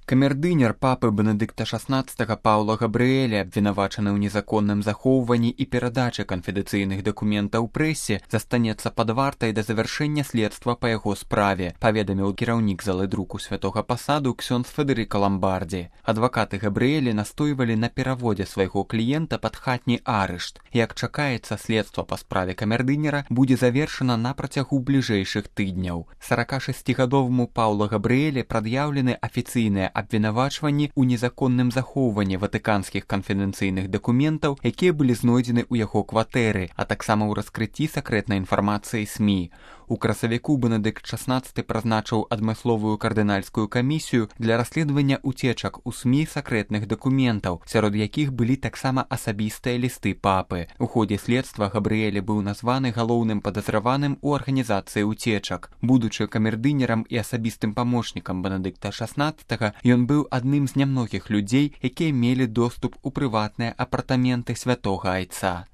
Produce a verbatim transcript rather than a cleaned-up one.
Камердынер папы Бенедыкта шаснаццатага Паўла Габрыэля, абвінавачаны ў незаконным захоўванні і перадачы канфідэнцыйных дакументаў прэсе, застанецца пад вартай да завяршэння следства па яго справе, паведаміў кіраўнік залы друку святога пасаду ксёндз Федэрыка Ламбардзі. Адвакаты Габрыэля настойвалі на пераводзе свайго кліента пад хатні арышт. Як чакаецца, следства па справе камердынера будзе завершана на працягу бліжэйшых тыдняў. саракашасцігадоваму Паўла Габрыэля прад'яўлены афіцыйныя абвінавачванні ў незаконным захоўванні ватыканскіх канфідэнцыйных дакументаў, якія былі знойдзены ў яго кватэры, а таксама ў раскрыцці сакрэтнай інфармацыі СМІ. У красавіку Бенедыкт шаснаццаты прызначыў адмысловую кардынальскую камісію для расследавання уцечак у СМІ сакрэтных дакументаў, сярод якіх былі таксама асабістыя лісты папы. У ходзе следства Габрыэль быў названы галоўным падазраваным у арганізацыі уцечак. Будучы камердынерам і асабістым памочнікам Бенедыкта шаснаццатага, ён быў адным з нямногіх людзей, якія мелі доступ у прыватныя апартаменты святога айца.